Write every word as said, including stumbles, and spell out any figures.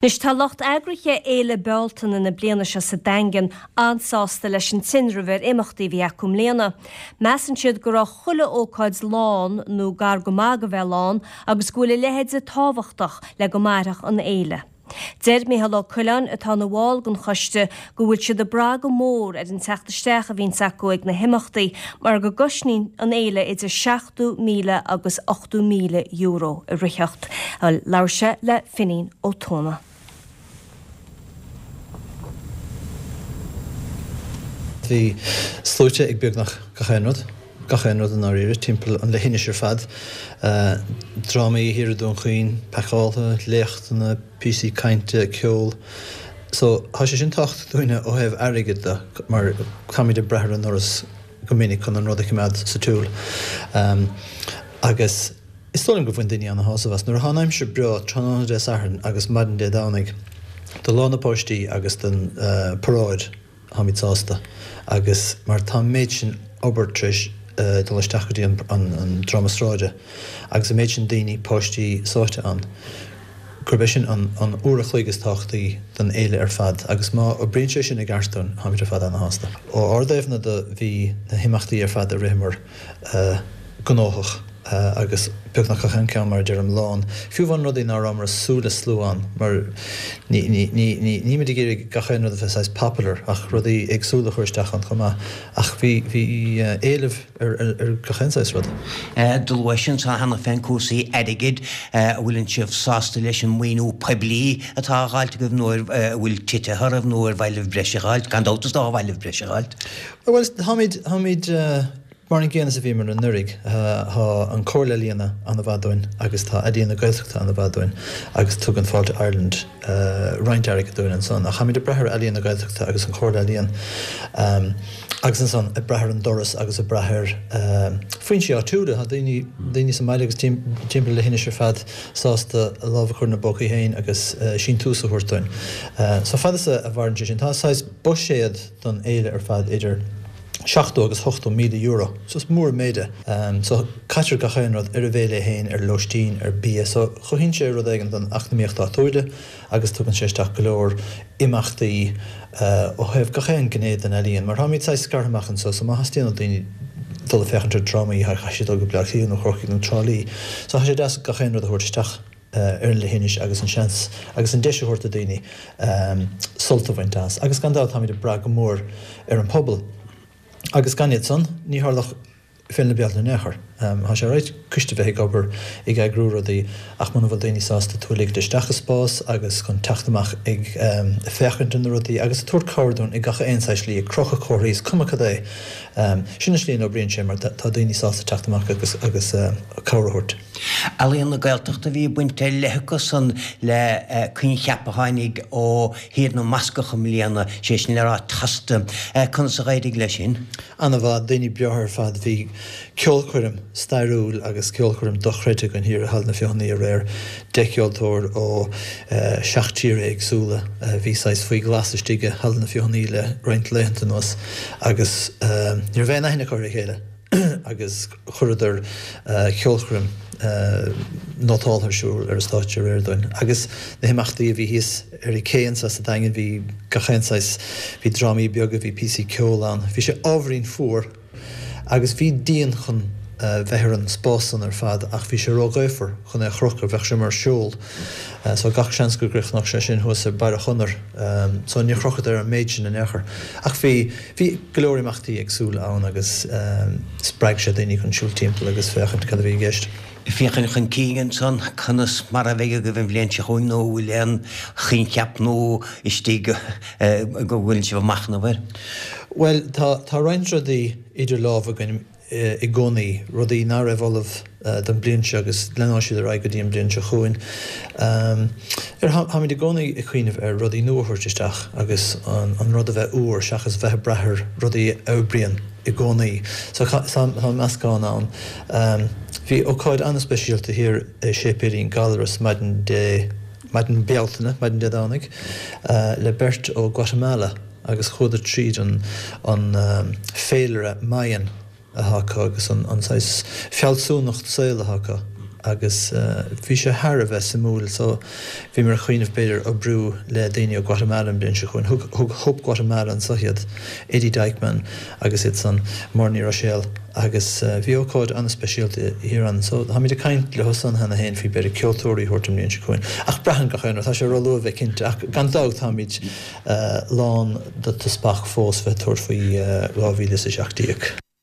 Anois tá lucht eagraithe Fhéile Bealtaine na bliana seo sa Daingean an-sásta leis an tinreamh ar imeachtaí a bhí acu i mbliana. Measann siad go raibh chuile ócáid lán nó gar go maith go bheith lán agus go bhfuil a leithéide tábhachtach le go mairfeadh an fhéile. Deir Micheál Ó Coileáin atá ina bhall den choiste go bhfuil siad ag brath go mór ar an teacht isteach a bhíonns acu ag na himeachtaí mar go gcosnaíonn an fhéile idir seachtó míle agus ochtó míle euro a ritheacht. Labhair sé le Finín Ó Tuama. Bhí sluaite ag beagnach gach aon rud, gach aon rud i ndáiríre, timpeall an leithinis ar fad. Drámaí thiar i Dún Chaoin, pacáilte, léachtanna, píosaí cainte, ceol. So, tá sé sin tábhachtach dúinne ó thaobh airgid de mar táimid ag brath ar an nDoras go minic chun an rud a choimeád sa tsiúl. Agus is dóigh liom gur bhain daoine ana-shásamh as. Nuair atá an aimsir breá tráthnóna Dé Sathairn agus maidin Dé Domhnaigh do Lá na bPáistí agus don paráid, táimid sásta agus mar tá an méid sin obair tar éis dul isteach go dtí an dráma sráide agus an méid sin daoine, páistí sáite ann, gurb é sin an uair a chloig is tábhachtaí don fhéile ar fad agus má oibríonn sé sin i gceart dúinn, táimid ar fad ana-shásta. Ó ár dtaobhna de bhí na himeachtaí ar fad a ritheamar gnóthach agus beagnach gach aon cheann, mar a deirim, lán. Fiú amháin rudaí ná rabhamar ag súil le slua ann, mar ní, ní, ní, ní, nílimid ag iarraidh gach aon rud a bheith saghas popular ach rudaí éagsúla a chur isteach ann chomh maith. Ach bhí, bhí éileamh ar, ar, ar gach aon saghas rud. Do luais ansan cheana féin cúrsaí airgid, an bhfuileann sibh sásta leis an maoiniú poiblí atá á dh'fháilt agaibh nó an bhfuil tite oraibh nó ar mhaith libh breis a dh'fháilt? Gan dabht is dócha ar mhaith libh breis a dh'fháilt. Bhuel, táimid, táimid, Mar an gcéanna is a bhíomar anuraidh, tá an Chomhairle Ealaíon an-mhaith dúinn agus tá Ealaíon na Gaeltachta an-mhaith dúinn agus tugann Fáilte Ireland roinnt airgid dúinn ansan. Ach táimid ag brath ar Ealaíon na Gaeltachta agus an Chomhairle Ealaíon agus ansan ag brath ar an dTuras agus ag brath ar foinsí áitiúla. Tá daoine, daoine sa mbaile agus timpeall leithinis ar fad sásta a lámh a chur ina bpócaí féin agus síntiús a thabhairt dúinn. So fad is a mhaireann sé sin, tá saghas buiséad don fhéile ar fad idir. seachtó agus ochtó míle euro. So is mór an méid é. So caitear gach aon rud ar an bhféile é féin, ar lóistín, ar bia. So chothaíonn sé rud éigin don eacnamaíocht áitiúil agus tugann sé isteach go leor imeachtaí ó thaobh gach aon gné den ealaíon. Mar táimid saghas scartha amach anseo so má theastaíonn ó daoine dul ag féachaint ar drámaí caithfidh siad dul go Bleá Cliath nó Corcaigh nó Trá Lí. So tá sé deas gach aon rud a thabhairt isteach ar an leithinis agus an seans agus an deis a thabhairt do daoine sult a bhaint as. Agus gan dabht táimid ag brath go mór ar an pobal. Agus gan iad san, ní tharlódh Féile na Bealtaine in aon chor. Tá sé alright coiste a bheith ag obair, ag eagrú rudaí, ach muna bhfuil daoine sásta tú a ligint isteach i spás agus chun teacht amach ag féachaint ar na rudaí agus ag tabhairt cabhair dúinn i gach aon saghas slí, ag crochadh comharthaí, is cuma cad é. Sin an slí a n-oibríonn sé mar tá daoine sásta teacht amach agus agus cabhair a thabhairt. Ealaíon na Gaeltachta, bhí baint ar leith acu san le coincheap a tháinig ó Thír na mBascach i mbliana, sé sin le rá Tosta. Conas a dh'éirigh leis sin? Ana-mhaith, daoine breátha ar fad. Bhí ceolchoirm stairiúil agus ceolchoirm dochreidte againn thiar i Halla na Feothanaí aréir. Deich gceoltóir ó seacht tír éagsúla a bhí saghas faoi ghlas istigh i Halla na Feothanaí le roinnt laethanta anuas agus ní raibh aon aithne acu ar a chéile. agus chuireadar ceolchoirm nótáltha ar siúl ar an stáitse aréir dúinn. Agus na himeachtaí a bhí thíos ar an cé anso sa Daingean, bhí gach aon saghas, bhí drámaí beaga, bhí píosaí ceoil ann. Bhí sé ábhairín fuar agus bhí díon chun bheith ar an spás san ar fad ach bhí sé róghaofar chun é a chrochadh, bheadh sé mar seol. So gach seans go gcríochnódh sé sin thuas ar barra Chonair. So níor chrochadar an méid sin in aon chor. Ach bhí, bhí go leor imeachtaí éagsúla ann agus spreag sé daoine chun siúl timpeall agus féachaint cad a bhí i gceist. Féachaint chun cinn ansan, conas mar a bheidh agaibh an bhliain seo chugainn nó an bhfuil aon choincheap nua istigh go bhfuil sibh ag machnamh air? Bhuel, tá, tá roinnt rudaí idir lámha againn. i gcónaí, rudaí nach raibh ullamh don bhliain seo agus leanfaidh siad ar aghaidh go dtí an bhliain seo chugainn. Táimid i gcónaí ag cuimhneamh ar rudaí nua a thabhairt isteach agus an rud a bheith úr seachas bheith ag brath ar rudaí a oibríonn i gcónaí. So tá meascán ann. Bhí ócáid an-speisialta thiar i Séipéilín Gallarus maidin Dé, maidin Bealtaine, maidin Dé Domhnaigh, le beirt ó Guatemala. agus chuadar tríd an an féilire Mayan atá acu agus an an saghas fealsúnacht saoil atá acu agus bhí sé thar a bheith suimiúil so bhíomar ag cuimhneamh b'fhéidir oibriú le daoine ó Guatemala an bhliain seo chugainn. Thug thug Hope Guatemala anso iad, Eddie Dykeman agus iad san, Máire Ní Ruiséil agus bhí ócáid an-speisialta thiar ann so táimid ag caint leo san cheana féin faoi b'fhéidir ceoltóirí a thabhairt an bhliain seo chugainn. Ach braitheann gach aon rud, tá sé róluath a bheith cinnte ach gan dabht táimid lán de speach fós bheith tabhairt faoi dhá mhíle is a seacht déag.